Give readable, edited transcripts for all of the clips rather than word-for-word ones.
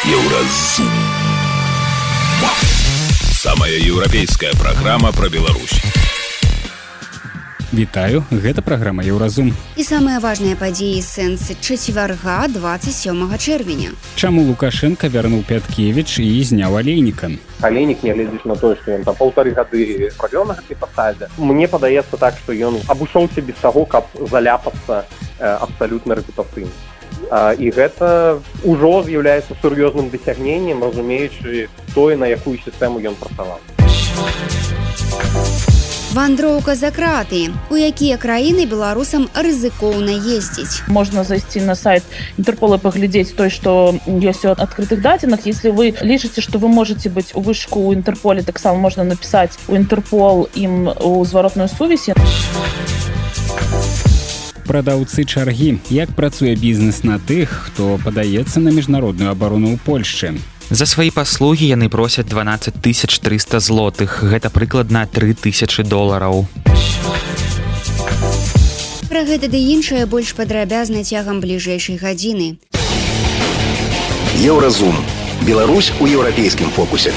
Еўразум. Самая еўрапейская праграма пра Беларусь. Вітаю, гэта праграма Еўразум. І самыя важныя падзеі сэнсы чацвярга 27 чэрвеня. Чаму Лукашенко вярнуў Пяткевіч і зняў Алейніка? Алейнік, нягледзячы на тое, што ён там 1,5 гады правёў на гэтай пасадзе, мне падаецца так, што ён абышоўся без таго, каб заляпацца абсалютна рэпутацыйна. І гэта ўжо з'яўляецца сур'ёзным дасягненнем, разумеючы тое, на якую сістэму ён працаваў. Вандроўка за краты. У якія краіны беларусам рызыкоўна ездзіць? Можно зайти на сайт Интерпола и поглядеть то, что есть от открытых дадзеных. Если вы лічыце, что вы можете быть у вышку у Интерполе, так само можно написать у Интерпол им у зваротную сувязь. Прадаўцы чаргі. Як працуе бізнес на тых, хто падаецца на міжнародную абарону ў Польшчы? За свае паслугі яны просяць 12 300 злотых. Гэта прыкладна $3000. Пра гэта ды іншае больш падрабязна цягам бліжэйшай гадзіны. Еўразум. Беларусь у еўрапейскім фокусе.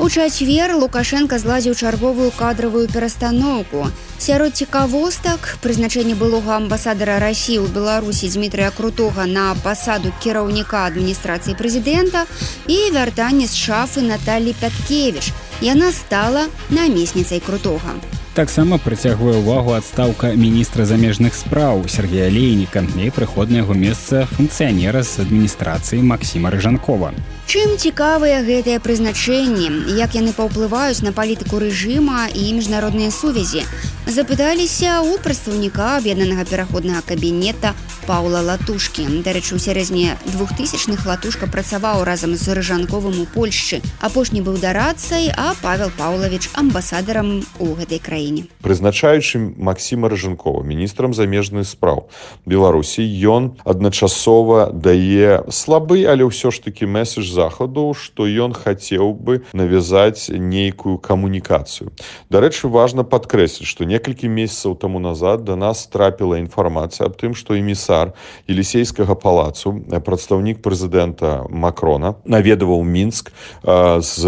У чацвер Лукашенко зладзіў чарговую кадравую перастаноўку. Сярод цікавостак прызначэнне былога амбасадара Расіі ў Беларусі Дмітрыя Крутога на пасаду кіраўніка адміністрацыі прэзідэнта і вяртанне з шафы Наталі Пяткевіч. Яна стала намесніцай Крутога. Таксама прыцягвае ўвагу адстаўка міністра замежных спраў Сергея Алейніка і прыход на яго месца функцыянера з адміністрацыі Максіма Рыжанкова. Чым цікавыя гэтыя прызначэнні, як яны паўплываюць на палітыку рэжыма і міжнародныя сувязі, запыталіся ў прадстаўніка аб'яднанага пераходнага кабінета Паўла Латушкі. Дарэчы, у сярэдзіне 2000-х Латушка працаваў разам з Рыжанковым у Польшчы. Апошні быў дарадцай, а Павел Паўлавіч амбасадарам у гэтай краіне. Прызначаючы Максіма Рыжанкова міністрам замежных спраў Беларусі, ён адначасова дае слабы, але ўсё ж такі месседж захаду, што ён хацеў бы навязаць нейкую камунікацыю. Дарэчы, важна падкрэсліць, што некалькі месяцаў таму назад да нас трапіла інфармацыя аб тым, што эмісар Елісейскага палацу, прадстаўнік прэзідэнта Макрона, наведаваў Мінск з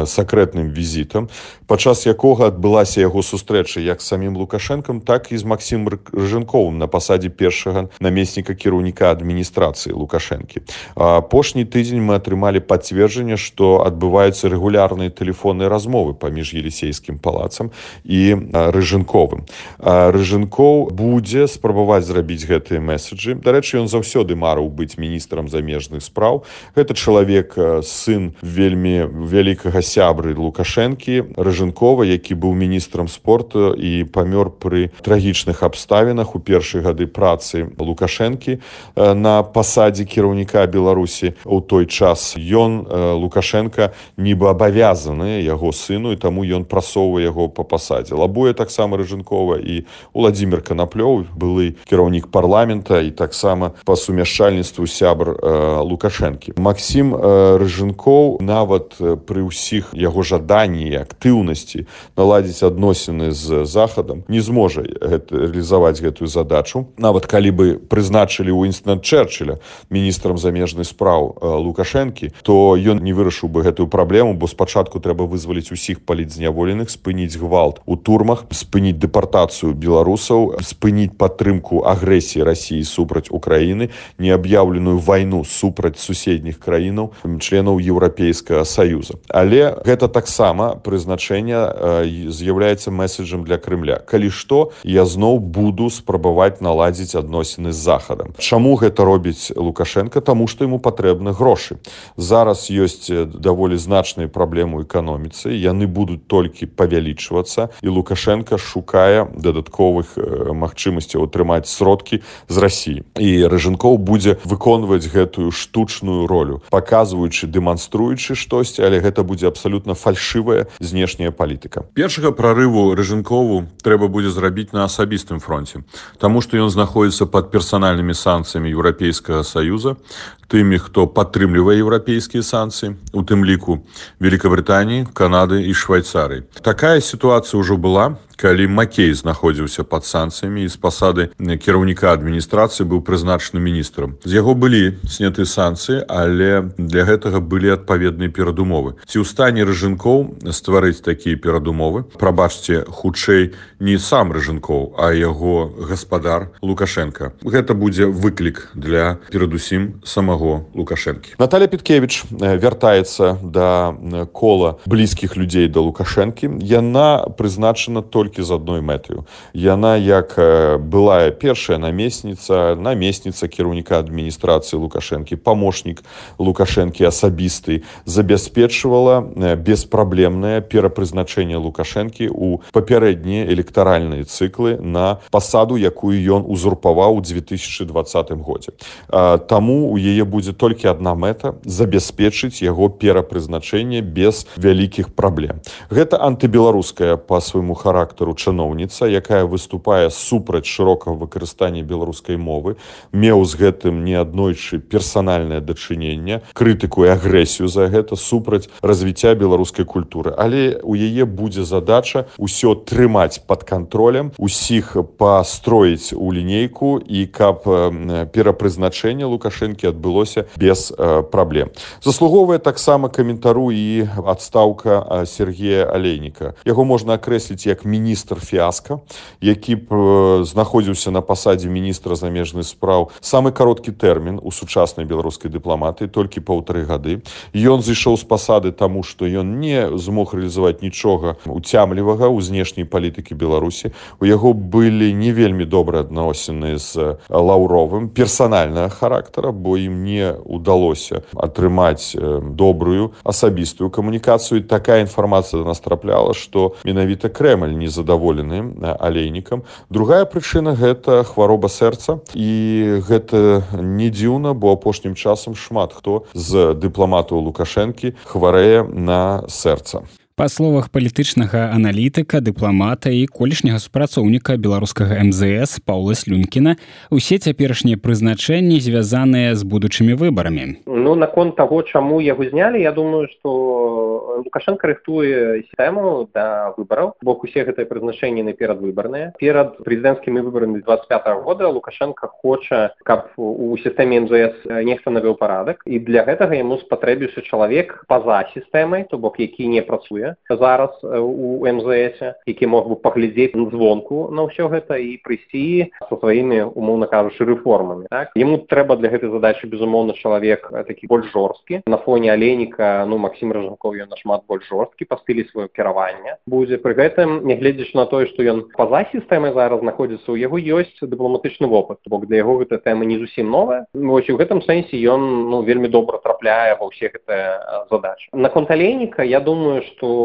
сакрэтным візітам, падчас якога адбылася яго сустрэча як з самім Лукашэнкам, так і з Максімам Рыжанковым на пасадзе першага намесніка кіраўніка адміністрацыі Лукашэнкі. Апошні тыдзень мы атрымалі пацверджанне, што адбываюцца рэгулярныя тэлефонныя размовы паміж Елісейскім палацам і Рыжанковым. Рыжанкоў будзе спрабаваць зрабіць гэтыя месседжы. Дарэчы, ён заўсёды марыў быць міністрам замежных спраў. Гэта чалавек, сын вельмі вялікага сябры Лукашэнкі, Рыжанкова, які быў міністрам спорту і памёр пры трагічных абставінах у першыя гады працы Лукашэнкі на пасадзе кіраўніка Беларусі. У той час ён, Лукашенко, нібы абавязаны яго сыну, і таму ён прасоўвае яго па пасадзе. Лабуе таксама Рыжанкова і Владзімір Канаплёў, былы кіраўнік парламента і таксама па сумяшчальніцтву сябр Лукашэнкі. Максім Рыжанкоў нават пры ўсіх яго жаданні і актыўнасці наладзіць адносіны з Захадам не зможа рэалізаваць гэтую задачу. Нават калі бы прызначылі Уінстона Чэрчыля міністрам замежных спраў Лукашэнкі, то ён не вырашыў бы гэтую праблему, бо спачатку трэба вызваліць усіх палітзняволеных, спыніць гвалт у турмах, спыніць дэпартацыю беларусаў, спыніць падтрымку агрэсіі Расіі супраць Украіны, неаб'яўленую вайну супраць суседніх краінаў, членаў Еўрапейскага Саюза. Але гэта таксама прызначэнне з'яўляецца месседжам для Крымля. Калі што, я зноў буду спрабаваць наладзіць адносіны з Захадам. Чаму гэта робіць Лукашенко? Таму што яму патрэбны грошы. Зараз ёсць даволі значныя праблемы ў эканоміцы, яны будуць толькі павялічвацца, і Лукашенко шукае дадатковых магчымасцяў атрымаць сродкі з Расіі. І Рыжанкоў будзе выконваць гэтую штучную ролю, паказваючы, дэманструючы штосьці, але гэта будзе абсалютна фальшывая знешняя палітыка. Першага прарыву Рыжанкову трэба будзе зрабіць на асабістым фронце, таму што ён знаходзіцца пад персанальнымі санкцыямі Еўрапейскага Саюза, тымі, хто падтрымлівае еўрапейскія санкцыі, у тым ліку Великабрытаніі, Канады і Швайцарыі. Такая сітуацыя ўжо была, калі Макей знаходзіўся пад санкцыямі і з пасады кіраўніка адміністрацыі быў прызначаны міністрам. З яго былі сняты санкцыі, але для гэтага былі адпаведныя перадумовы. Ці ў стане Рыжынкоў стварыць такія перадумовы? Прабачце, хутчэй не сам Рыжынкоў, а яго гаспадар Лукашенко. Гэта будзе выклік для, перадусім, самого Лукашэнкі. Наталья Петкевич вяртаецца да кола блізкіх людзей да Лукашэнкі. Яна прызначана толькі з адной мэтаю. Яна, як былая першая намесніца кіраўніка адміністрацыі Лукашэнкі, памочнік Лукашэнкі асабісты, забяспечвала беспраблемнае перапрызначэнне Лукашэнкі ў папярэднія электаральныя цыклы на пасаду, якую ён узурпаваў у 2020 годзе. Таму у яе будзе толькі адна мэта – забяспечыць яго перапрызначэнне без вялікіх праблем. Гэта антыбеларуская па свайму характару чыноўніца, якая выступае супраць шырокага выкарыстання беларускай мовы, меў з гэтым неаднойчы персанальнае дачыненне, крытыку і агрэсію за гэта супраць развіцця беларускай культуры. Але у яе будзе задача ўсё трымаць пад кантролем, усіх пастроіць у лінейку і каб перапрызначэнне Лукашэнкі адбылося без праблем. Заслуговвае таксама каментару і адстаўка Сергея Алейніка. Яго можна акрэсліць як міністр фіаска, які знаходзіўся на пасадзе міністра замежных спраў самы кароткі тэрмін у сучаснай беларускай дыпламатыі, толькі 1,5 гады. Ён зышоў з пасады таму, што ён не змог рэалізаваць нічога уцямлівага ў знешняй палітыкі Беларусі. У яго былі не вельмі добрыя адносіны з Лаўровым персанальнага характара, бо ім не удалося атрымаць добрую асабістую камунікацыю. Такая інфармацыя да нас трапляла, што менавіта Крэмль незадаволены Алейнікам. Другая прычына – гэта хвароба сэрца. І гэта не дзіўна, бо апошнім часам шмат хто з дыпламатаў Лукашэнкі хварэе на сэрца. Па словах палітычнага аналітыка, дыпламата і колішняга супрацоўніка беларускага МЗС Паўла Слюнкіна, усе цяперашнія прызначэнні звязаныя з будучымі выбарамі. Наконт таго, чаму яго знялі, я думаю, што Лукашенко рыхтуе сістэму да выбараў, бо усе гэтыя прызначэнні наперадвыбарныя. Перад прэзідэнцкімі выбарамі 25-го года Лукашенко хоча, каб у сістэме МЗС нехта навёў парадак, і для гэтага яму спатрэбіўся чалавек па-за сістэмай, то бок які не працуе зараз у МЗС, які мог бы паглядзець звонку на ўсё гэта і прыйсці са сваімі, умоўна кажучы, рэформамі. Так? Яму трэба для гэтай задачы, безумоўна, чалавек такі больш жорсткі. На фоне Алейніка, Максім Рыжынкоў, ён нашмат больш жорсткі па стылі сваё кіравання будзе. Пры гэтым, нягледзячы на тое, што ён па-за сістэмай зараз знаходзіцца, у яго ёсць дыпламатычны вопыт, бок для яго гэта тэма не зусім новая. Вось у гэтым сэнсе ён вельмі добра трапляе ва ўсе гэтыя задачы. Наконт Алейніка, я думаю, што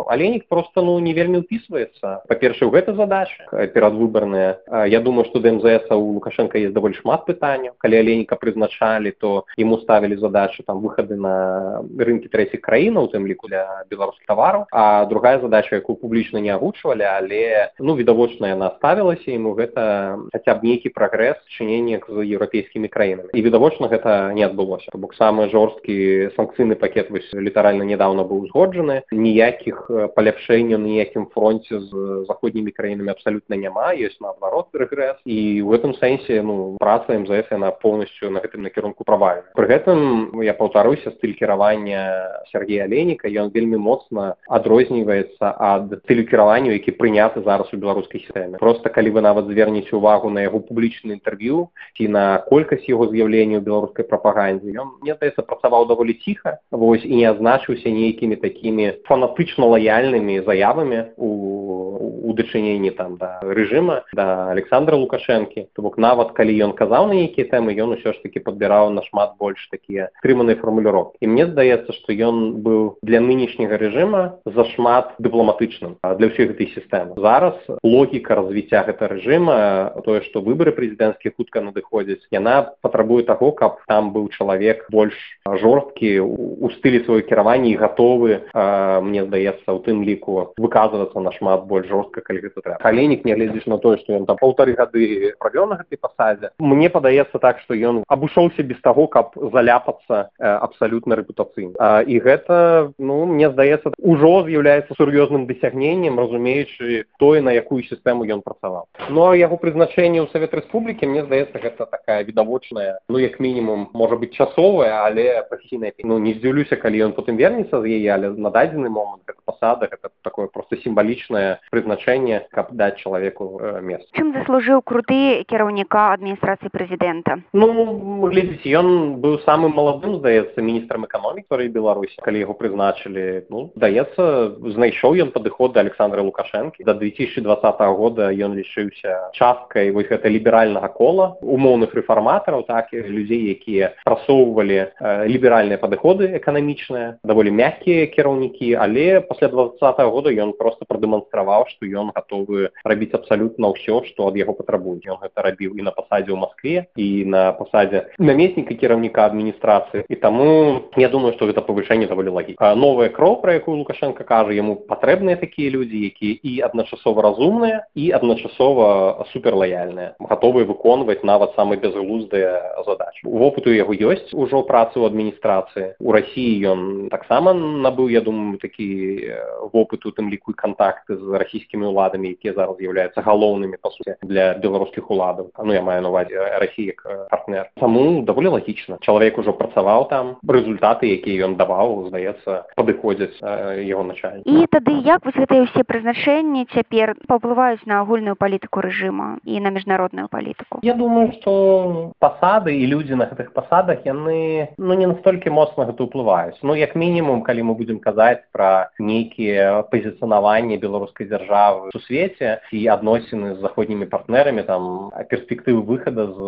Алейнік проста не вельмі ўпісваецца. Па-першае, у гэтай задачы перадвыбарныя. Я думаю, што да МЗС у Лукашенка есть даволі шмат пытанняў. Калі Алейніка прызначалі, то яму ставілі задачу выхады на рынкі трэціх краін, у тым ліку для беларускіх тавараў. А другая задача, якую публічна не агучвалі, але відавочна яна ставілася, яму гэта хаця б нейкі прагрэс чынення з еўрапейскімі краінамі. І відавочна гэта не адбылося. То бок самы жорсткі санкцыйны пакет літаральна нядаўна быў узгоджаны. Ніякіх паляпшэнняў на ніякім фронце з заходнімі краінамі абсалютна няма, ёсць наадварот рэгрэс. І ў гэтым сэнсе праца МЗС яна поўнасцю на гэтым накірунку правальная. Пры гэтым, я паўтаруся, стыль кіравання Сергея Алейніка, ён вельмі моцна адрозніваецца ад стылю кіравання, які прыняты зараз у беларускай сістэме. Проста калі вы нават звернеце ўвагу на яго публічнае інтэрв'ю ці на колькасць яго з'яўлення ў беларускай прапагандзе, ён, мне здаецца, працаваў даволі ціха, і не азначыўся нейкімі такімі фанатычна лаяльнымі заявамі у дачыненні да рэжыма, да Александра Лукашэнкі. То бок нават калі ён казаў на нейкія тэмы, ён усё ж такі падбіраў нашмат больш такі такія стрыманыя фармуліроўкі. І мне здаецца, што ён быў для нынешняга рэжыма зашмат дыпламатычным для ўсёй гэтай сістэмы. Зараз логіка развіцця гэтага рэжыма, тое, што выбары прэзідэнцкія хутка надыходзяць, яна патрабуе таго, каб там быў чалавек больш жорсткі у стылі сваёй кіравання і гатовы, мне здаецца, у тым ліку выказвацца нашмат больш жорстка, калі гэта трэба. Алейнік, нягледзячы на тое, што ён там 1,5 гады правёў на гэтай пасадзе, мне падаецца так, што ён абышоўся без таго, каб заляпацца абсалютна рэпутацыйна. І гэта, мне здаецца, ужо з'яўляецца сур'ёзным дасягненнем, разумеючы тое, на якую сістэму ён працаваў. А яго прызначэнне ў Савет Рэспублікі, мне здаецца, гэта такая відавочная, як мінімум, можа быць часовая, але прафесійная. Не здзіўлюся, калі ён потым вернецца з яе, але на дадзены момант гэта пасада, гэта такое проста сімвалічнае прызначэнне, каб даць чалавеку месца. Чым заслужыў круты кіраўніка адміністрацыі прэзідэнта? Глядзіце, ён быў самым маладым, здаецца, міністрам эканомікі Беларусі, калі яго прызначылі. Здаецца, знайшоў ён падыход да Александра Лукашэнкі. До 2020 года ён лічыўся часткай гэта ліберальнага кола, умоўных рэфарматараў, так, людзей, якія прасоўвалі ліберальныя падыходы эканамічныя, даволі мяккія кіраўнікі, але пасля 2020 года ён проста прадэманстраваў, што ён гатовы рабіць абсалютна ўсё, што ад яго патрабуюць. Ён гэта рабіў і на пасадзе ў Маскве, і на пасадзе намесніка кіраўніка адміністрацыі. І таму я думаю, што гэта павышэнне даволі лагічна. Новая кроў, пра якую Лукашенко кажа, яму патрэбныя такія людзі, якія і адначасова разумныя, і адначасова суперлаяльныя, гатовыя выконваць нават самыя бязглуздыя задачы. Вопыт у яго ёсць ужо працы ў адміністрацыі. У Расіі ён таксама набыў, я думаю, такі вопыт, у тым ліку і кантакты з расійскімі ўладамі, якія зараз з'яўляюцца галоўнымі, па суті, для беларускіх уладаў. Я маю на ўвазе Расію як партнер. Таму даволі лагічна. Чалавек ужо працаваў там, рэзультаты, якія ён даваў, здаецца, падыходзяць яго начальніку. І тады як вось гэтыя ўсе прызначэнні цяпер паўплываюць на агульную палітыку рэжыма і на міжнародную палітыку? Я думаю, што пасады і людзі на гэтых пасадах, яны не настолькі моцна гэта ўплываюць. Як мінімум, калі мы будзем казаць пра нейкія пазіцыянаванні беларускай дзяржавы у свеце і адносіны з заходнімі партнерамі, там перспектывы выхада з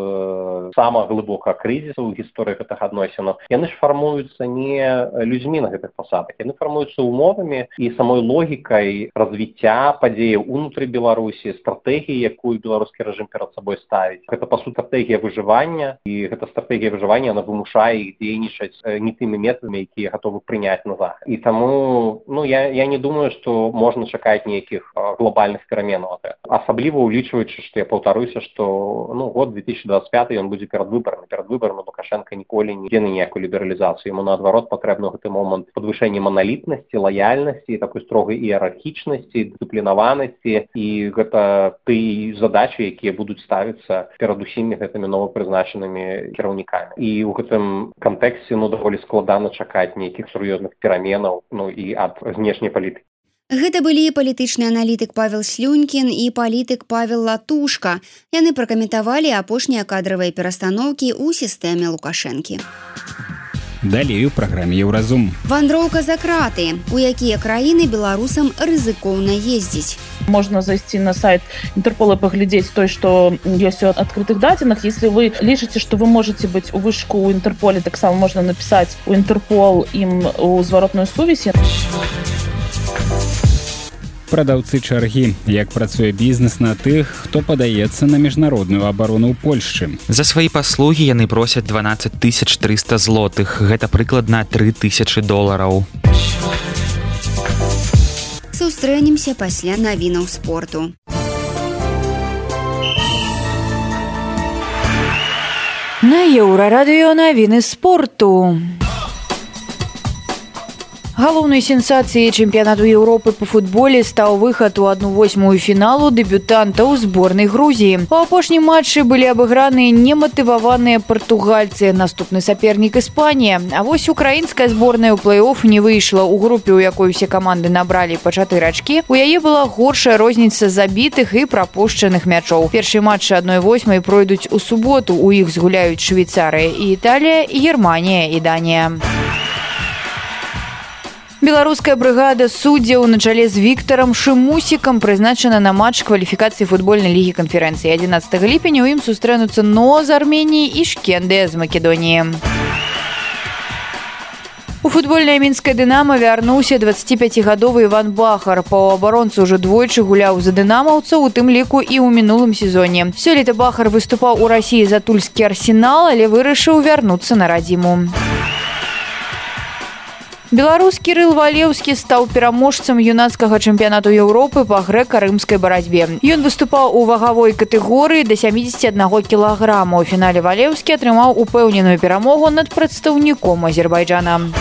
самага глыбокага крызісу ў гісторыі гэтых адносінаў, яны ж фармуюцца не людзьмі на гэтых пасадах, яны фармуюцца умовамі і самой логікай развіцця падзеяў унутры Беларусі, стратэгіі, якую беларускі рэжым перад сабой ставіць. Гэта, па суті, стратэгія выжывання, і гэта стратэгія выжывання, яна вымушае іх дзейнічаць не тымі метадамі, якія гатовы прыняць на захад. І таму, я не думаю, што можна чакаць нейкіх глобальных пераменаў. Асабліва улічваючы, што я паўтаруся, што год 2025 ён будзе перад выбарамі. Перад выбарамі Лукашенко ніколі не ідзе на ніякую лібералізацыю. Яму, наадварот, патрэбна ў гэты момант падвышэнне маналітнасці, лаяльнасці, такой строгай іерархічнасці, дысцыплінаванасці, і гэта тыя задачы, якія будуць ставіцца перад усімі гэтымі новапрызначанымі кіраўнікамі. І ў гэтым кантэксце даволі складана чакаць нейкіх сур'ёзных пераменаў і ад знешняй палітыкі. Гэта былі палітычны аналітык Павел Слюнькін і палітык Павел Латушка. Яны пракаментавалі апошнія кадравыя перастаноўкі ў сістэме Лукашэнкі. Далей у праграме «Еўразум». Вандроўка за краты. У якія краіны беларусам рызыкоўна ездзіць? Можно зайти на сайт Интерпола и поглядеть то, что есть от открытых датинах. Если вы лишите, что вы можете быть у вышку у Интерполе, так само можно написать у Интерпол им у зворотную сувязь. Прадаўцы чаргі. Як працуе бізнес на тых, хто падаецца на міжнародную абарону ў Польшчы. За свае паслугі яны просяць 12 300 злотых. Гэта прыкладна $3000. Сустрэнемся пасля навінаў спорту. На Еўрарадыё навіны спорту. Галоўнай сенсацыяй чэмпіянату Еўропы па футболе стаў выхад у 1/8 фіналу дэбютантаў зборнай Грузіі. У апошнім матчы былі абыграныя нематываваныя партугальцы, наступны сапернік Іспанія. А вось украінская зборная ў плэй-офф не выйшла. У групе, у якой усе каманды набралі па 4 ачкі, у яе была горшая розніца забітых і прапушчаных мячоў. Першыя матчы 1/8 пройдуць у суботу. У іх згуляюць Швейцарыя і Італія, Германія і Данія. Беларуская брыгада суддзяў на чале з Віктарам Шымусікам прызначана на матч кваліфікацыі футбольнай лігі канферэнцыі. 11 ліпеня ў ім сустрэнуцца НО з Арменіі і Шкендыя з Македоніі. У футбольнае мінскае «Дынама» вярнуўся 25-гадовы Іван Бахар. Паўабаронца ўжо двойчы гуляў за дынамаўцаў, у тым ліку і ў мінулым сезоне. Сёлета Бахар выступаў у Расіі за тульскі «Арсенал», але вырашыў вярнуцца на радзіму. Беларускі Кірыл Валеўскі стаў пераможцам юнацкага чэмпіянату Еўропы па грэка-рымскай барацьбе. Ён выступаў у вагавой катэгорыі да 71 кілаграма. У фінале Валеўскі атрымаў упэўненую перамогу над прадстаўніком Азербайджана.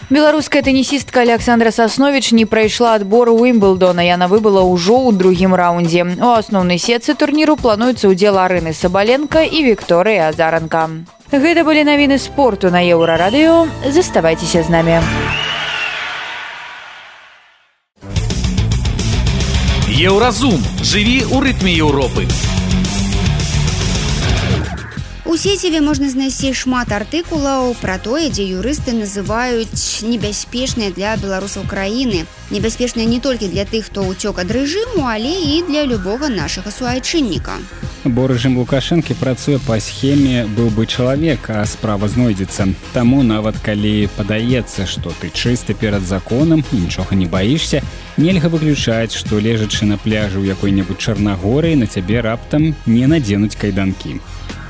Беларуская тэнісістка Александра Сасновіч не прайшла адбор Уимблдона. Яна выбыла ўжо ў другім раўндзе. У асноўнай сетцы турніру плануецца ўдзел Арыны Сабаленка і Вікторыі Азаранка. Гэта былі навіны спорту на Еўрарадыё. Заставайцеся з намі. Еўразум. Жыві ў рытме Еўропы. У сеціве можна знайсці шмат артыкулаў пра тое, дзе юрысты называюць небяспечныя для беларусаў краіны. Небяспечныя не толькі для тых, хто ўцёк ад рэжыму, але і для любога нашага суайчынніка. Бо рэжым Лукашэнкі працуе па схеме «быў бы чалавек, а справа знойдзецца». Таму нават калі падаецца, што ты чысты перад законам і нічога не баішся, нельга выключаць, што лежачы на пляжы ў якой-небудзь Чарнагорыі на цябе раптам не надзенуць кайданкі.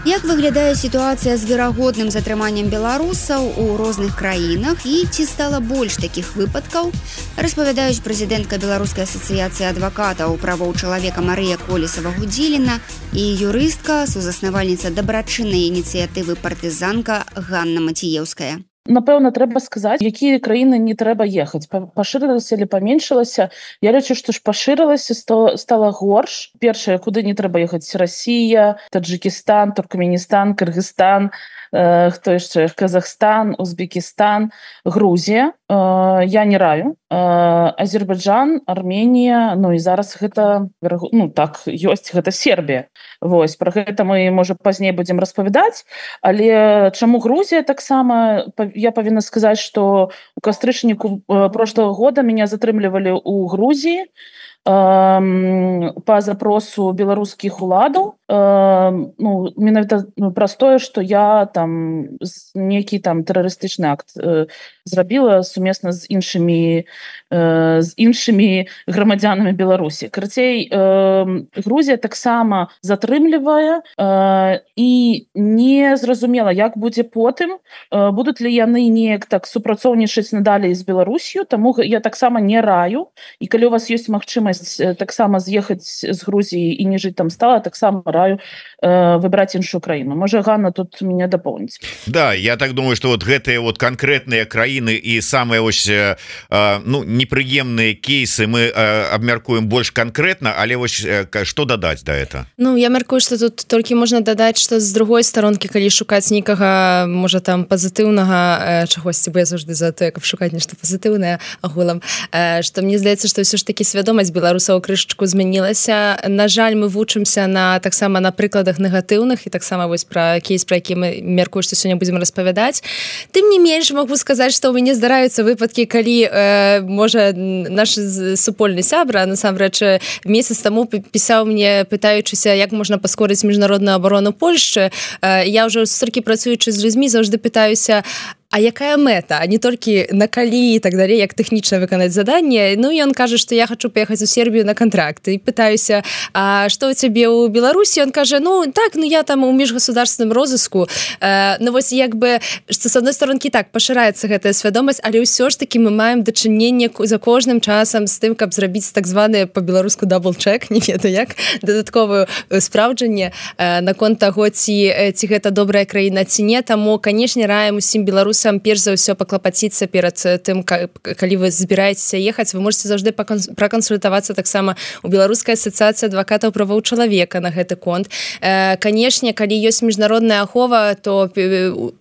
Як выглядае сітуацыя з верагодным затрыманнем беларусаў у розных краінах і ці стала больш такіх выпадкаў, распавядаюць прэзідэнтка Беларускай асацыяцыі адвакатаў правоў чалавека Марыя Колесава-Гудзіліна і юрыстка, сузаснавальніца дабрачыннай ініцыятывы партызанка Ганна Маціеўская. Напэўна, трэба сказаць, якія краіны не трэба ехаць. Пашырылася или паменшылася? Я лічу, што ж пашырылася, стала горш. Першае, куды не трэба ехаць: Расія, Таджикістан, Туркменістан, Кыргызстан, хто яшчэ? Казахстан, Узбекістан, Грузія. Я не раю. Азербайджан, Арменія, ну і зараз гэта, ну так, ёсць, гэта Сербія. Вось, пра гэта мы, можа, пазней будзем распавядаць, але чаму Грузія таксама? Я павінна сказаць, што у кастрычніку прошлого года меня затрымлівалі ў Грузіі па запросу беларускіх уладаў. Ну, менавіта праз тое, што я там нейкі там тэрарыстычны акт зрабіла сумесна з іншымі грамадзянамі Беларусі. Карацей, Грузія таксама затрымлівае і не зразумела, як будзе потым, будуць ли яны неяк так супрацоўнічаць надалей з Беларусью, таму я таксама не раю. І калі у вас ёсць магчымасць таксама з'ехаць з Грузіі і не жыць там стала, таксама раю выбраць іншую краіну. Можа, Ганна тут меня дополнить. Да, я так думаю, что вот гэтыя вот конкретные краіны і самыя вось ну, непрыемныя кейсы мы абмяркуем больш конкретно, але вось што дадаць да это? Ну, я мяркую, што тут толькі можна дадаць, што з другой старонкі, калі шукаць нейкага, можа, там пазітыўнага чагосьці, бо я заўжды за тое, каб шукаць нешта пазітыўнае агулам, што мне здаецца, што ўсё ж такі свядомасць беларусаў крышачку змянілася. На жаль, мы вучымся таксама на прыкладах негатыўных і таксама вось пра кейс, пра які мы мяркую, што сёння будзем распавядаць. Тым не менш, магу сказаць, што ў мяне здараюцца выпадкі, калі, можа, наш супольны сябра, насамрэч, месяц таму пісаў мне, пытаючыся, як можна паскорыць міжнародную абарону Польшчы. Я ўжо столькі працуючы з людзьмі заўжды пытаюся, а якая мэта, а не толькі на калі і так далей, як тэхнічна выканаць заданне. Ну, і ён кажа, што я хачу паехаць у Сербію на кантракт. І пытаюся, а што ў цябе ў Беларусі? Ён кажа, ну, так, ну, я там у міжгосударственным розыску. Ну, вось, як бы, што з адной сторонкі так, пашыраецца гэтая свядомасць, але ўсё ж такі мы маем дачыненне за кожным часам з тым, каб зрабіць так званы па-беларуску дабл-чек, не ведаю як, дадатковую спраўджанне наконт таго, ці гэта добрая краіна, ці не. Таму, канешне, раем усім беларусам перш за ўсё паклапаціцца перад тым, калі вы збіраецеся ехаць, вы можете заўжды пракансультавацца таксама у Беларускай асацыяцыі адвакатаў правоў чалавека на гэты конт. Канешне, калі ёсць міжнародная ахова, то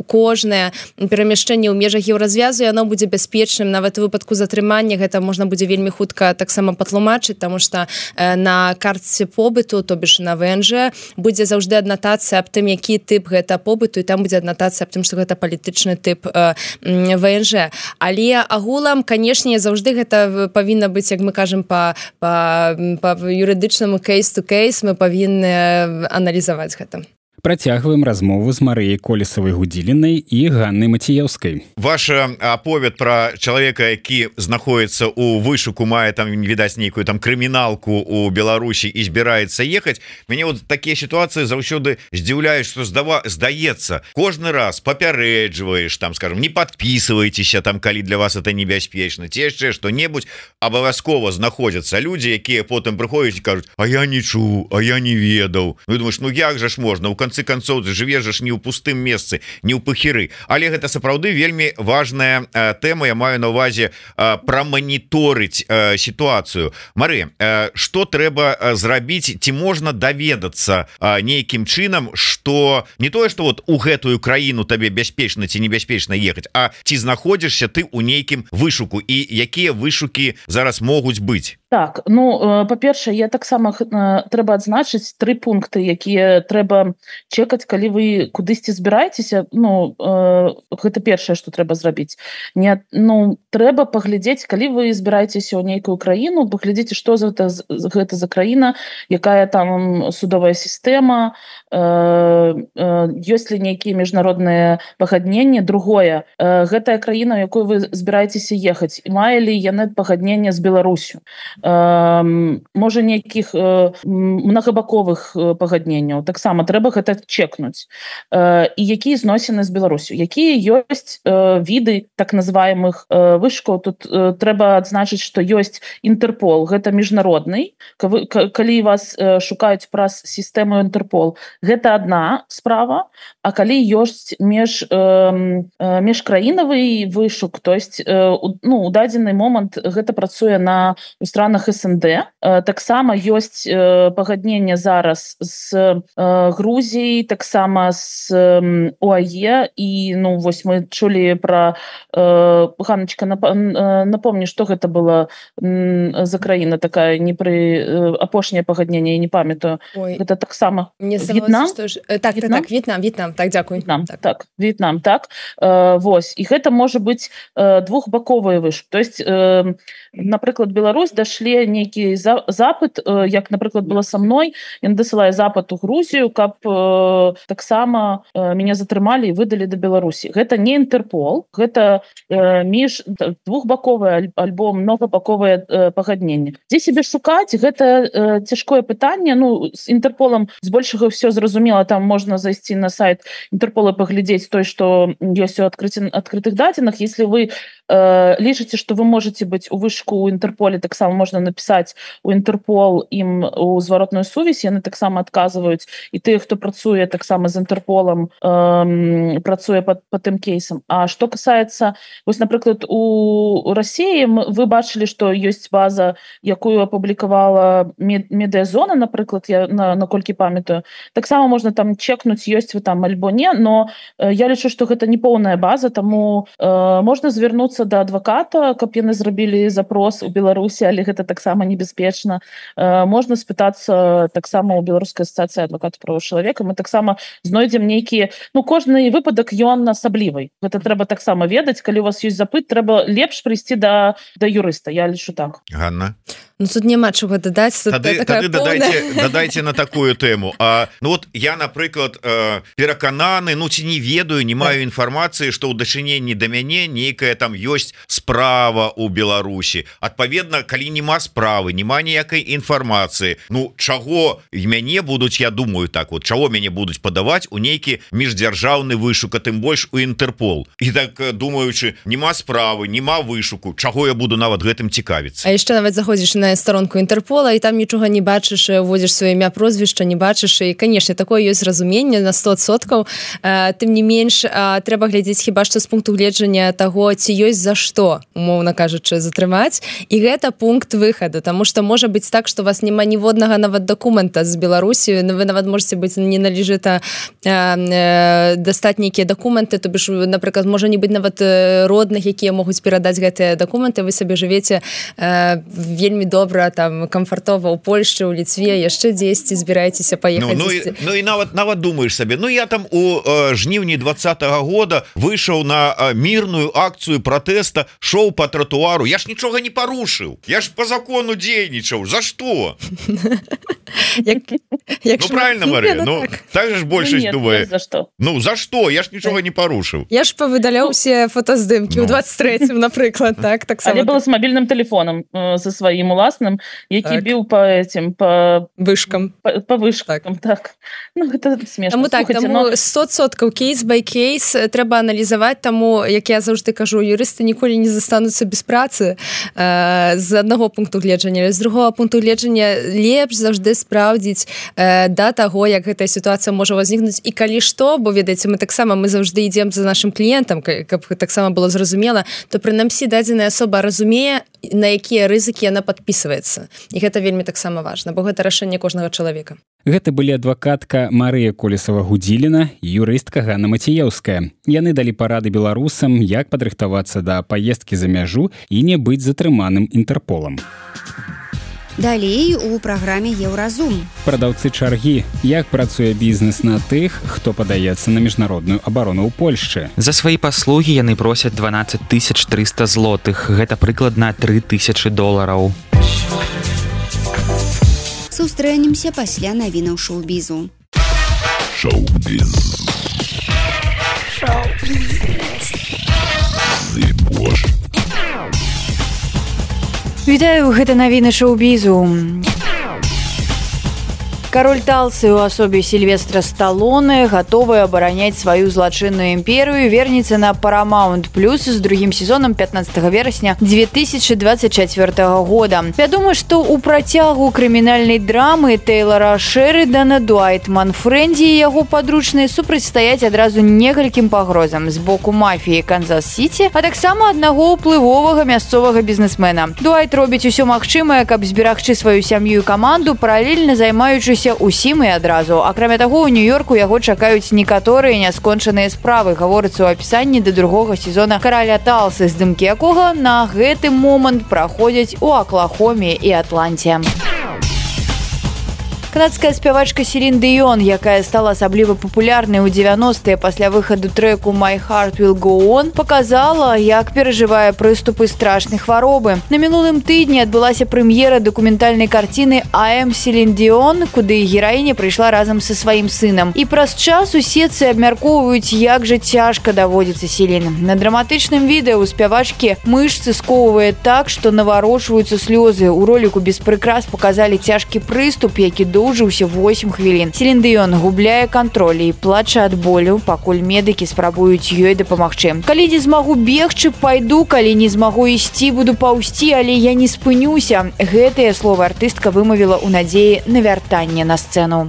кожнае перамяшчэнне ў межах еўразвязу яно будзе бяспечным. Нават у выпадку затрымання гэта можна будзе вельмі хутка таксама патлумачыць, таму што на картце побыту, то бишь на ВНЖ, будзе заўжды аднатацыя аб тым, які тып гэта побыту, і там будзе аднатацыя аб тым, што гэта палітычны тып ВНЖ. Але агулам, канешне, заўжды гэта павінна быць, як мы кажам, па юрыдычнаму кейс-to-кейс, мы павінны аналізаваць гэта. Працягваем размову з Марыяй Колесавай-Гудзілінай і Ганнай Маціеўскай. Ваша аповед пра чалавека, які знаходіцца ў вышуку, мае там, відаць, нейкую там крыміналку ў Беларусі і збіраецца ехаць. Мяне вот такія сітуацыі заўсёды здзіўляюць, што здаецца, кожны раз папярэджваеш, там, скажем, не подписывайтеся там, калі для вас это небяспечна, ці яшчэ што-небудзь. Абавязкова знаходзяцца людзі, якія потым прыходзяць і кажуць: а я не чуў, а я не ведаў. Ну, думаеш, ну як жа ж можна? У канцы канцоў жывеш ж не ў пустым месцы, не ў пахіры. Але гэта сапраўды вельмі важная тэма. Я маю на ўвазе праманіторыць сітуацыю. Мары, што трэба зрабіць? Ці можна даведацца нейкім чынам, што не тое, што вот у гэтую краіну табе бяспечна ці небяспечна ехаць, а ці знаходзішся ты ў нейкім вышуку і якія вышукі зараз могуць быць? Так, ну, па-першае, я таксама трэба адзначыць 3 пункты, якія трэба чекаць, калі вы кудысьці збіраецеся. Ну, гэта першае, што трэба зрабіць. Ну, трэба паглядзець, калі вы збіраецеся ў нейкую краіну, паглядзіце, што гэта за краіна, якая там судовая сістэма, ёсць ли нейкія міжнародныя пагадненні. Другое, гэтая краіна, у якую вы збіраецеся ехаць, мае ли яны пагадненне з Беларусю? Можа, нейкіх многабаковых пагадненняў. Таксама трэба гэта чекнуць. І якія зносіны з Беларусю? Якія ёсць віды так называемых вышкаў? Тут трэба адзначыць, што ёсць Інтэрпол, гэта міжнародны. Калі вас шукаюць праз сістэму Інтэрпол, гэта адна справа. А калі ёсць міжкраінавы вышук, то есть, ну, у дадзены момант гэта працуе у странах СНД. Таксама ёсць пагадненне зараз з Грузіяй, таксама з ОАЕ. І, ну, вось мы чулі пра... Ганночка, напомні, што гэта была за краіна такая, апошняе пагадненне, я не памятаю. Гэта таксама В'етнам? Так, В'етнам, так, дзякуй. В'етнам, так. Вось. І гэта можа быць двухбаковыя вышук. То есть, напрыклад, Беларусь дашлі нейкі запыт, як, напрыклад, было са мной, ён дасылае запыт у Грузію, каб таксама мяне затрымалі і выдалі да Беларусі. Гэта не Інтэрпол, гэта двухбаковае альбо многабаковае пагадненне. Дзе сябе шукаць? Гэта цяжкое пытанне. Ну, з Інтэрполам збольшага ўсё зразумела, там можна зайсці на сайт Інтэрпола, паглядзець той, што ёсць у адкрытых дадзеных. Если вы лічыце, што вы можете быць у вышку ў Інтэрполе, таксама можна напісаць у Інтэрпол ім у зваротную сувязь, яны таксама адказваюць, і тыя, хто працуе таксама з Інтэрполам, працуе па тым кейсам. А што касаецца, вось, напрыклад, у Расіі вы бачылі, што ёсць база, якую апублікавала Медыазона, напрыклад, я наколькі памятаю. Таксама можна там чекнуць, ёсць вы там альбо не, но я лічу, што гэта не поўная база, таму можна звярнуцца да адваката, каб яны зрабілі запрос у Беларусі, але гэта таксама небяспечна. Можна спытацца таксама ў Беларускай асацыяцыі адвакатаў правоў чалавека. Мы таксама знойдзем нейкія... Ну, кожны выпадак ён асаблівы. Гэта трэба таксама ведаць. Калі у вас ёсць запыт, трэба лепш прыйсці да юрыста. Я лічу так. Ганна? Ну, тут няма чого дадаць. Тады дадайце на такую тэму. Ну, вот я, напрыклад, перакананы, ну, ці не ведаю, не маю інфармацыі, што ў дачыненні да мяне нейкая там ёсць справа ў Беларусі. Адпаведна, калі нема справы, нема ніякай інфармацыі, ну, чаго мяне будуць, я думаю так, вот, чаго мяне будуць падаваць у нейкі міждзяржаўны вышук, а тым больш у Інтэрпол. І так, думаючы, нема справы, нема вышуку, чаго я буду нават гэтым цікавіцца. А яшчэ нават заходзіш на старонку Інтэрпола, і там нічога не бачыш, уводзіш сваё імя, прозвішча, не бачыш, і, канешне, такое ёсць разуменне на 100%. Тым не менш, трэба глядзець хіба што з пункту гледжання таго, ці ёсць за што, умоўна кажучы, затрымаць. І гэта пункт выхаду, таму што можа быць так, што у вас няма ніводнага нават дакумента з Беларусі, вы нават можете быць не належыта дастаць нейкія дакументы, то бишь, напрыклад, можа не быць нават родных, якія могуць перадаць гэтыя дакументы, вы сабе жывеце вельмі добра там камфартова ў Польшчы, ў Літве, яшчэ дзесьці збіраецеся паехаць. Ну і нават думаеш сабе, ну я там у жніўні 20-го года выйшаў на мірную акцыю пратэста, шоу по тротуару, я ж нічога не парушыў, я ж по закону дзейнічаў, за што? Ну правильно, Мария, ну так же ж большасць думае, ну за што, я ж нічога не парушыў. Я ж павыдаляў усе фотаздымкі ў 23-м, напрыклад, так але было з мабільным тэлефонам за сваім уласным, які біў по этим, по вышкам, так. Ну гэта смешна. Таму 100% кейс by кейс трэба аналізаваць, таму як я заўжды кажу, юрысты ніколі не застануцца без працы з аднаго пункту гледжання, з другого пункту гледжання лепш заўжды спраўдзіць да таго, як гэтая сітуацыя можа возникнуць і калі што, бо ведаеце, мы заўжды ідзем за нашим кліентам, каб таксама было зразумела, то прынамсі дадзеная асоба разумее, на якія рызыкі яна падпісваецца. І гэта вельмі таксама важна, бо гэта рашэнне кожнага чалавека. Гэта былі адвакатка Марыя Колесава-Гудзіліна і юрыстка Ганна Мацееўская. Яны далі парады беларусам, як падрыхтавацца да паездкі за мяжу і не быць затрыманым Інтэрполам. Далей у праграме Еўразум. Прадаўцы чаргі. Як працуе бізнес на тых, хто падаецца на міжнародную абарону ў Польшчы? За свае паслугі яны просяць 12 300 злотых. Гэта прыкладна $3000. Сустрэнемся пасля навінаў шоу-бізу. Шоу-біз. Вітаю, гэта навіны шоу-бізу. Кароль Талсы ў асобе Сільвестра Сталоне, гатовы абараняць сваю злачынную імперыю, вернецца на Paramount Plus з другім сезонам 15 верасня 2024 года. Вядома, што ў працягу крымінальнай драмы Тэйлара Шэрыдана Дуайт Манфрэнді і яго падручныя супрацьстаяць адразу некалькім пагрозам з боку мафіі Канзас-Сіці, а таксама аднаго ўплывовага мясцовага бізнесмена. Дуайт робіць усё магчымае, каб зберагчы сваю сям'ю і каманду, паралельна займаючыся усім і адразу. Акрамя таго, у Нью-Йорку яго чакаюць некаторыя няскончаныя справы, гаворыцца ў апісанні да другога сезона Караля Талсы, здымкі якога на гэты момант праходзяць у Аклахоме і Атланце. Канадская спявачка Селін Дыён, якая стала асабліва папулярнай у 90-е пасля выхаду трэку «My Heart Will Go On», показала, як перажывае прыступы страшнай хваробы. На мінулым тыдні адбылася прэм'ера дакументальнай карціны «I am Селін Дыён», куды гераіня прыйшла разам са сваім сынам. І праз час уседцы абмяркоўваюць, як жа цяжка даводзіцца Селін. На драматычным відэа у спявачкі мышцы сковывае так, што наварочваюцца слёзы. У роліку без прыкрас показалі цяжкі прыступ, які доўжыўся 8 хвілін. Селін Дыён губляе кантроль і плача ад болю, пакуль медыкі спрабуюць ёй дапамагчы. Калі не змагу бегчы, пайду, калі не змагу ісці, буду паўсці, але я не спынюся. Гэтыя словы артыстка вымавіла ў надзеі на вяртанне на сцэну.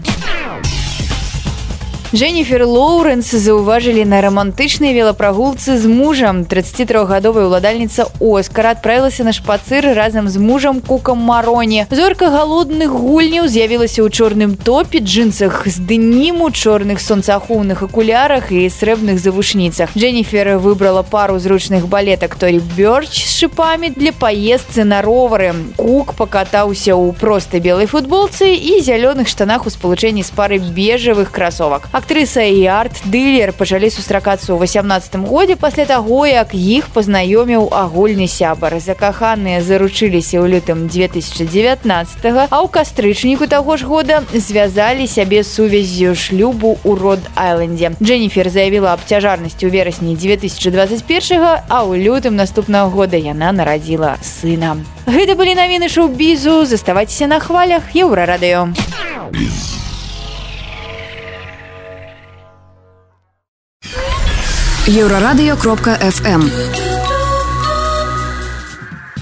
Дженніфер Лоуренс заўважылі на рамантычнай велапрагулцы з мужам. 33гадовая ўладальніца Оскара адправілася на шпацыр разам з мужам Кукам Мароні. Зорка галодных гульняў з'явілася ў чорным топе, джинсах з дэніму, чорных сонцаахоўных акулярах і срэбных завушніцах. Дженніфер выбрала пару зручных балетак Торі Бёрч з шыпамі для паездцы на ровары. Кук пакатаўся ў простай белай футболцы і зялёных штанах у спалучэнні з парай бежавых красовак. Актрыса і арт-дылер пачалі сустракацца ў 18 годзе пасля таго, як іх пазнаёміў агульны сябар. Закаханыя заручыліся ў лютым 2019, а ў кастрычніку таго ж года звязалі сябе сувяззю шлюбу ў Род-Айлендзе. Дженніфер заявіла аб цяжарнасці ў верасні 2021, а ў лютым наступнага года яна нарадзіла сына. Гэта былі навіны шоу-бізу. Заставайцеся на хвалях Еўрарадыё. Еўрарадыё.фм.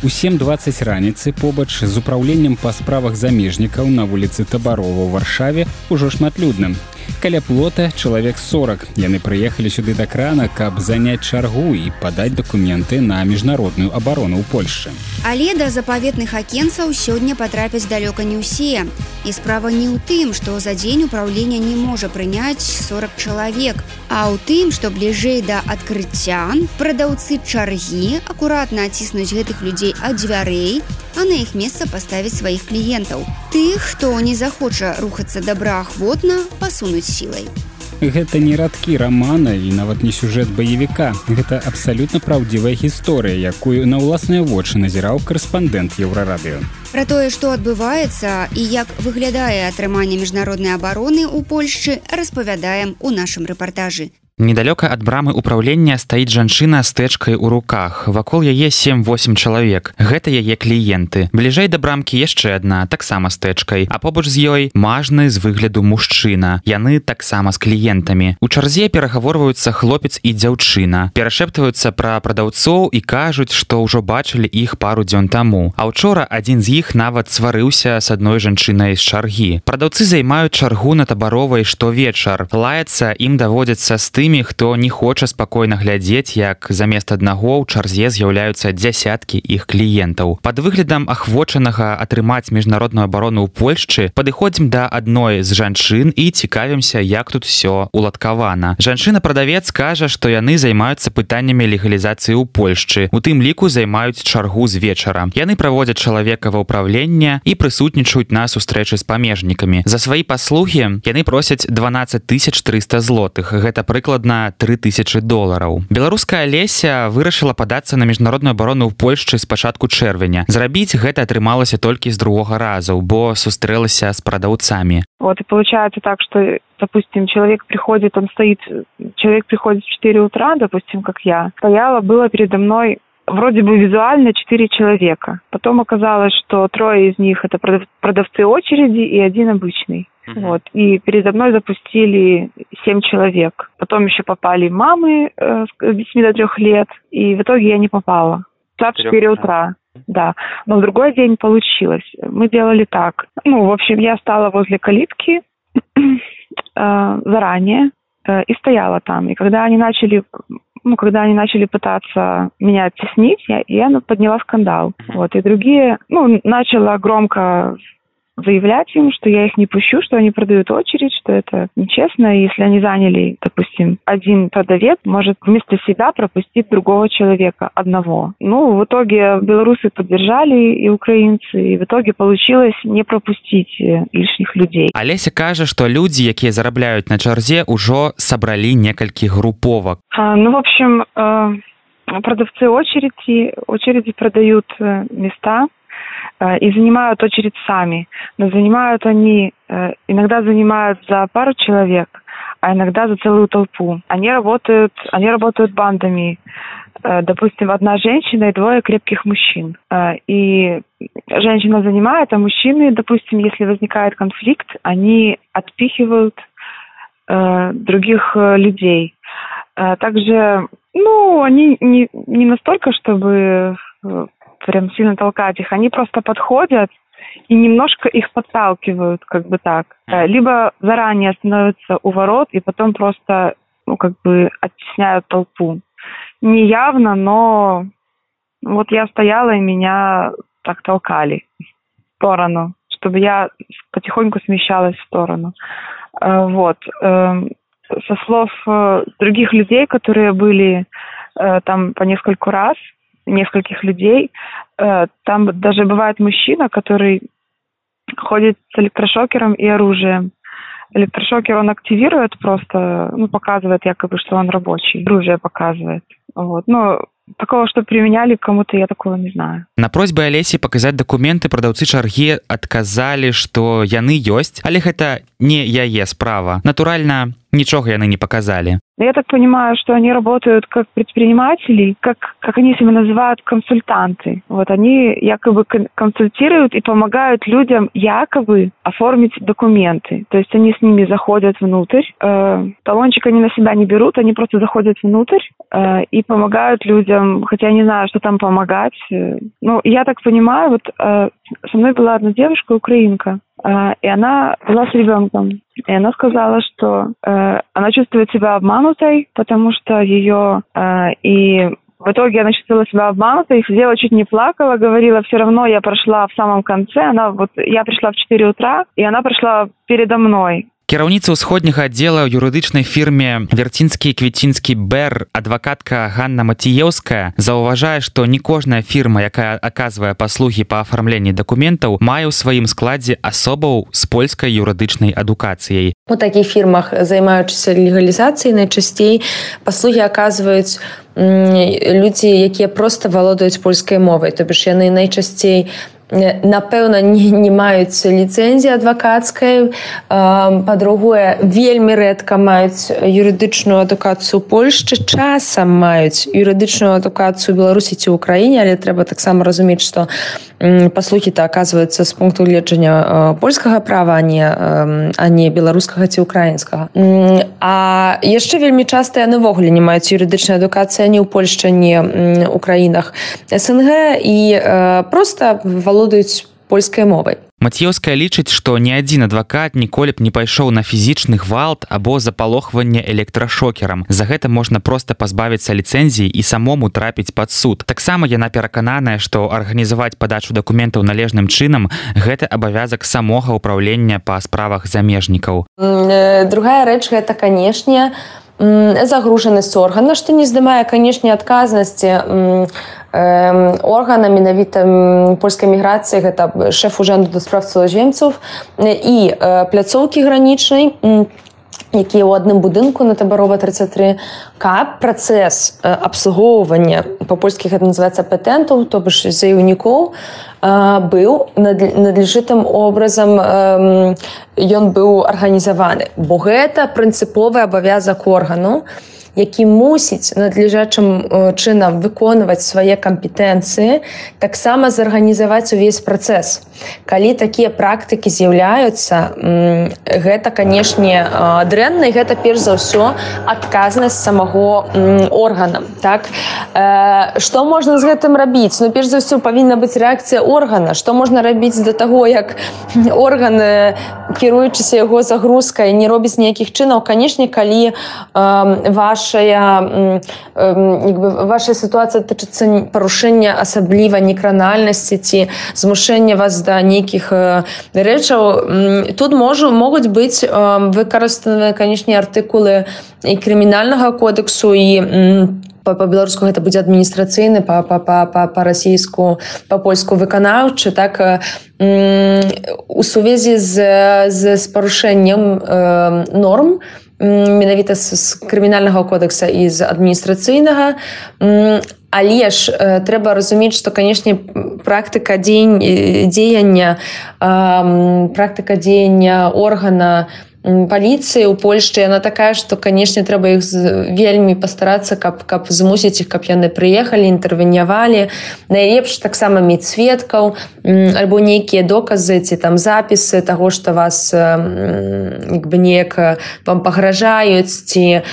У 7:20 раніцы побач з управленнем па справах замежнікаў на вуліцы Табарова ў Варшаве ўжо шматлюдна. Каля плота чалавек 40. Яны прыехалі сюды да крана, каб заняць чаргу і падаць дакументы на міжнародную абарону ў Польшчы. Але да запаветных акенцаў сёння патрапяць далёка не ўсе. І справа не ў тым, што за дзень управлення не можа прыняць 40 чалавек, а ў тым, што бліжэй да адкрыцця прадаўцы чаргі акуратна аціснуць гэтых людзей ад дзвярэй, а на іх месца паставіць сваіх кліентаў. Тых, хто не захоча рухацца добраахвотна, пасунуць сілай. Гэта не радкі рамана і нават не сюжэт баевіка. Гэта абсалютна праўдзівая гісторыя, якую на ўласныя вочы назіраў корэспандэнт Еўрарадыё. Пра тое, што адбываецца і як выглядае атрыманне міжнароднай абароны ў Польшчы, распавядаем у нашым рэпартажы. Недалёка ад брамы ўпраўлення стаіць жанчына з тэчкай у руках. Вакол яе 7-8 чалавек. Гэта яе кліенты. Бліжэй да брамкі яшчэ адна, таксама з тэчкай. А побач з ёй мажны з выгляду мужчына. Яны таксама з кліентамі. У чарзе перагаворваюцца хлопец і дзяўчына. Перашэптваюцца пра прадаўцоў і кажуць, што ўжо бачылі іх пару дзён таму. А ўчора адзін з іх нават сварыўся з адной жанчынай з чаргі. Прадаўцы займаюць чаргу на Табаровай штовечар. Лаяцца ім даводзіцца з тымі, хто не хоча спакойна глядзець, як замест аднаго ў чарзе з'яўляюцца дзясяткі іх кліентаў. Пад выглядам ахвочанага атрымаць міжнародную абарону ў Польшчы падыходзім да адной з жанчын і цікавімся, як тут усё уладкавана. Жанчына-прадавец кажа, што яны займаюцца пытаннямі легалізацыі ў Польшчы. У тым ліку займаюць чаргу з вечара. Яны праводзяць чалавека ва ўпраўленне і прысутнічаюць на сустрэчы з памежнікамі. За свае паслугі яны просяць 12 300 злотых. Гэта прыкладна $3000. Беларуская Алеся вырашыла падацца на міжнародную абарону ў Польшчы з пачатку чэрвеня. Зрабіць гэта атрымалася толькі з другога разу, бо сустрэлася з прадаўцамі. Вот и получается так, что, допустим, человек приходит в 4 утра, допустим, как я. Было передо мной вроде бы визуально 4 человека. Потом оказалось, что 3 из них это продавцы очереди и 1 обычный. Вот. И передо мной запустили 7 человек. Потом еще попали мамы с детьми до 3 лет. И в итоге я не попала. В 4 утра. Да. Но в другой день получилось. Мы делали так. В общем, я стала возле калитки заранее и стояла там. И когда они начали пытаться меня оттеснить, я подняла скандал. Вот. И другие, начала громко заявлять им, что я их не пущу, что они продают очередь, что это нечестно. И если они заняли, допустим, 1 продавец, может вместо себя пропустить другого человека, одного. В итоге белорусы поддержали и украинцы, и в итоге получилось не пропустить лишних людей. Алеся кажа, што людзі, якія зарабляюць на чарзе, ужо сабралі некалькі груповак. В общем, продавцы очереди продают места, и занимают очередь сами. Но иногда занимают за пару человек, а иногда за целую толпу. Они работают бандами. Допустим, 1 женщина и 2 крепких мужчин. И женщина занимает, а мужчины, допустим, если возникает конфликт, они отпихивают других людей. Также, они не настолько, чтобы прям сильно толкать их, они просто подходят и немножко их подталкивают, как бы так. Либо заранее становятся у ворот и потом просто, оттесняют толпу. Не явно, но вот я стояла и меня так толкали в сторону, чтобы я потихоньку смещалась в сторону. Вот. Со слов других людей, которые были там по нескольких людей, там даже бывает мужчина, который ходит с электрошокером и оружием. Электрошокер он активирует просто, показывает якобы, что он рабочий. Оружие показывает. Вот. Такого, что применяли кому-то, я такого не знаю. На просьбы Алесі паказаць дакументы прадаўцы чаргі адказалі, што яны ёсць, але гэта не яе справа. Натуральна, нічога яны не показали. Я так понимаю, что они работают как предприниматели, как они себя называют, консультанты. Вот они якобы консультируют и помогают людям якобы оформить документы. То есть они с ними заходят внутрь, талончик они на себя не берут, они просто заходят внутрь и помогают людям, хотя я не знаю, что там помогать. Я так понимаю, вот со мной была одна девушка, украинка, и она была с ребенком. И она сказала, что она чувствует себя обманутой, потому что и в итоге она чувствовала себя обманутой, и сидела, чуть не плакала, говорила, все равно я прошла в самом конце. Я пришла в 4 утра, и она прошла передо мной. Кіраўніца ўсходняга аддзела ў юрыдычнай фірме Вярцінскі і Квіцінскі БЭР, адвакатка Ганна Маціеўская, заўважае, што не кожная фірма, якая аказвае паслугі па афармленні дакументаў, мае ў сваім складзе асобаў з польскай юрыдычнай адукацыяй. У такіх фірмах, займаючыся легалізацыяй, найчасцей паслугі аказваюць людзі, якія проста валодаюць польскай мовай, то бишь яны найчасцей напэўна не маюць ліцэнзіі адвакацкай, па-другое, вельмі рэдка маюць юрыдычную адукацыю ў Польшчы, часам маюць юрыдычную адукацыю ў Беларусі ці ў Украіне, але трэба таксама разумець, што паслугі-то аказваюцца з пункту гледжання польскага права, а не беларускага ці украінскага. А яшчэ вельмі часта яны ўвогуле не маюць юрыдычнай адукацыі ні ў Польшчы, ні ў краінах СНГ і проста валодаюць польскай мовай. Маціеўская лічыць, што ні адзін адвакат ніколі б не пайшоў на фізічны гвалт або запалохванне электрашокерам. За гэта можна проста пазбавіцца ліцэнзіі і самому трапіць пад суд. Таксама яна перакананая, што арганізаваць падачу дакументаў належным чынам – гэта абавязак самога ўпраўлення па справах замежнікаў. Другая рэч – гэта, канешне, загружанасць органа, што не здымае, канешне, адказнасці органа менавіта польскай міграцыі, гэта шэф ужанду да справ цудаземцаў і пляцоўкі гранічнай, якія ў адным будынку на Табарова 33, каб працэс абслугоўвання, па-польскі гэта называецца патэнтаў, то бишь заяўнікоў, быў надлежытым образам, ён быў арганізаваны. Бо гэта прынцыповы абавязак органу, які мусіць надлежачым чынам выконваць свае кампетэнцыі, таксама зарганізаваць увесь працэс. Калі такія практыкі з'яўляюцца, гэта, канешне, дрэнна, і гэта перш за ўсё адказнасць самого органа. Так? Што можна з гэтым рабіць? Ну, перш за ўсё павінна быць рэакцыя органа. Што можна рабіць да таго, як орган, кіруючыся яго загрузкай, не робіць ніякіх чынаў? Канешне, калі вашая сітуацыя тычыцца парушэння асабліва некранальнасці ці змушэння вас да нейкіх рэчаў, тут могуць быць выкарыстаныя, канешне, артыкулы і крымінальнага кодексу, і па-беларуску гэта будзе адміністрацыйны, па-расійску, па-польску выканаўчы, так, у сувязі з парушэннем норм, менавіта з крымінальнага кодекса і з адміністрацыйнага, але ж трэба разумець, што, канешне, практыка дзеяння органа паліцыі ў Польшчы, яна такая, што, канешне, трэба іх вельмі пастарацца, каб змусіць іх, каб яны прыехалі, інтэрвенявалі. Найлепш таксама мець сведкаў, альбо нейкія доказы ці там запісы таго, што вас неяк вам пагражаюць, ці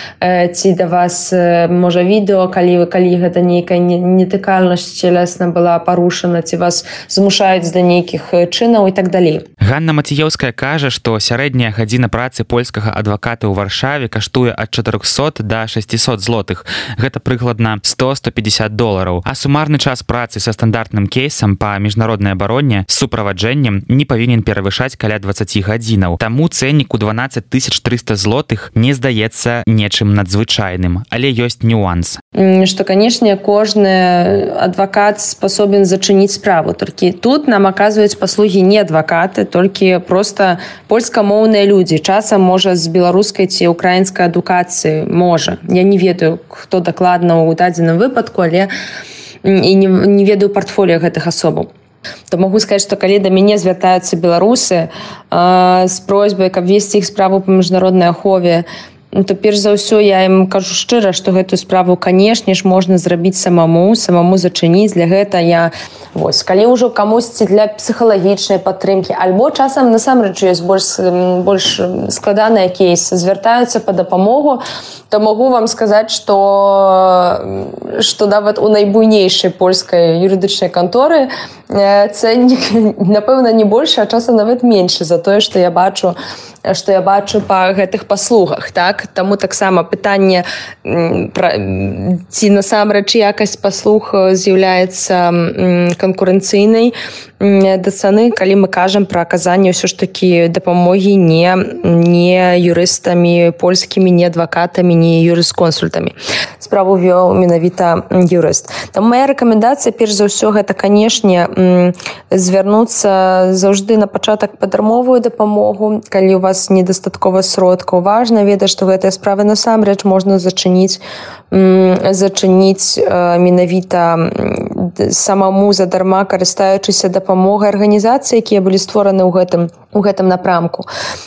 да вас, можа, відэо, калі гэта нейкая нетыкальнасць целесна была парушана, ці вас змушаюць да нейкіх чынаў і так далей. Ганна Маціеўская кажа, што сярэдняя гадзіна працы польскага адваката ў Варшаве каштуе ад 400 да 600 злотых. Гэта прыкладна $100-150. А сумарны час працы са стандартным кейсам па міжнароднай абароне з суправаджэннем не павінен перавышаць каля 20 гадзінаў. Таму цэннік у 12 300 злотых не здаецца нечым надзвычайным, але ёсць нюанс. Што, канешне, кожны адвакат спасобен зачыніць справу. Толькі тут нам аказваюць паслугі не адвакаты, толькі проста польскамоўныя людзі. Часам, можа, з беларускай ці украінскай адукацыі, можа. Я не ведаю, хто дакладна ў дадзеным выпадку, але і не ведаю партфоліо гэтых асобаў. То могу сказаць, што калі да мяне звяртаюцца беларусы з просьбай, каб весці іх справу па міжнароднай ахове, то перш за ўсё я ім кажу шчыра, што гэтую справу, канешне ж, можна зрабіць самому зачыніць. Для гэта я, калі ўжо камусьці для псіхалагічнай падтрымкі, альбо часам насамрэч ёсць больш складаныя кейсы, звяртаюцца па дапамогу, то могу вам сказаць, што нават у найбуйнейшай польскай юрыдычнай канторы цэннік, напэўна, не большы, а часам нават меншы за тое, што я бачу па гэтых паслугах, так? Так, таму таксама пытанне ці насамрэч якасць паслуг з'яўляецца канкурэнцыйнай да цаны, калі мы кажам пра аказанне ўсё ж такі дапамогі не юрыстамі польскімі, не адвакатамі, не юрысконсультамі. Справу вёў менавіта юрыст. Там моя рэкамендацыя, перш за ўсё, гэта, канешне, звярнуцца заўжды на пачатак па дармовую дапамогу, калі у вас недастаткова сродкаў. Важна ведаць, што гэтыя справы насамрэч можна зачыніць менавіта самому задарма, карыстаючыся дапамогай арганізацый, якія былі створаны ў гэтым напрамку.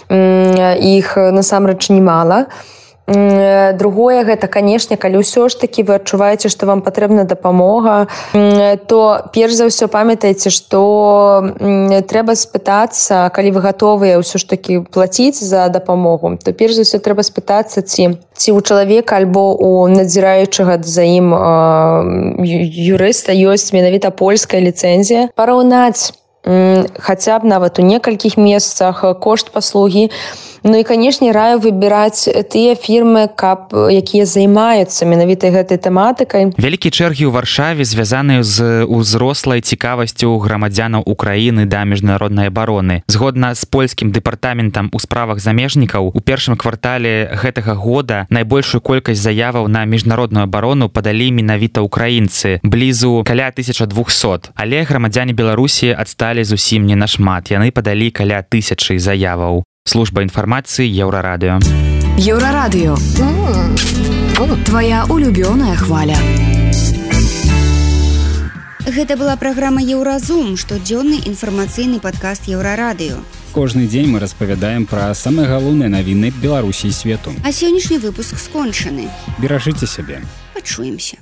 Іх насамрэч немала. Другое, гэта, канешне, калі ўсё ж такі вы адчуваеце, што вам патрэбна дапамога, то перш за ўсё памятайце, што трэба спытацца, калі вы гатовыя ўсё ж такі плаціць за дапамогу, то перш за ўсё трэба спытацца, ці у чалавека альбо у надзіраючага за ім юрыста ёсць менавіта польская ліцэнзія. Параўнаць хаця б нават у некалькіх месцах кошт паслугі. Ну і, канешне, раю выбіраць тыя фірмы, якія займаюцца менавіта гэтай тэматыкай. Вялікія чэргі ў Варшаве звязаныя з узрослай цікавасцю грамадзянаў Украіны да міжнароднай абароны. Згодна з польскім дэпартаментам у справах замежнікаў, у першым квартале гэтага года найбольшую колькасць заяваў на міжнародную абарону падалі менавіта ўкраінцы, блізу каля 1200. Але грамадзяне Беларусі адсталі зусім не нашмат. Яны падалі каля 1000 заяваў. Служба інфармацыі Еўрарадыё. Еўрарадыё. Твая улюбёная хваля. Гэта была праграма Еўразум, штодзённы інфармацыйны падкаст Еўрарадыё. Кожны дзень мы распавядаем пра самыя галоўныя навіны Беларусі і свету. А сённяшні выпуск скончаны. Беражыце сябе. Пачуемся.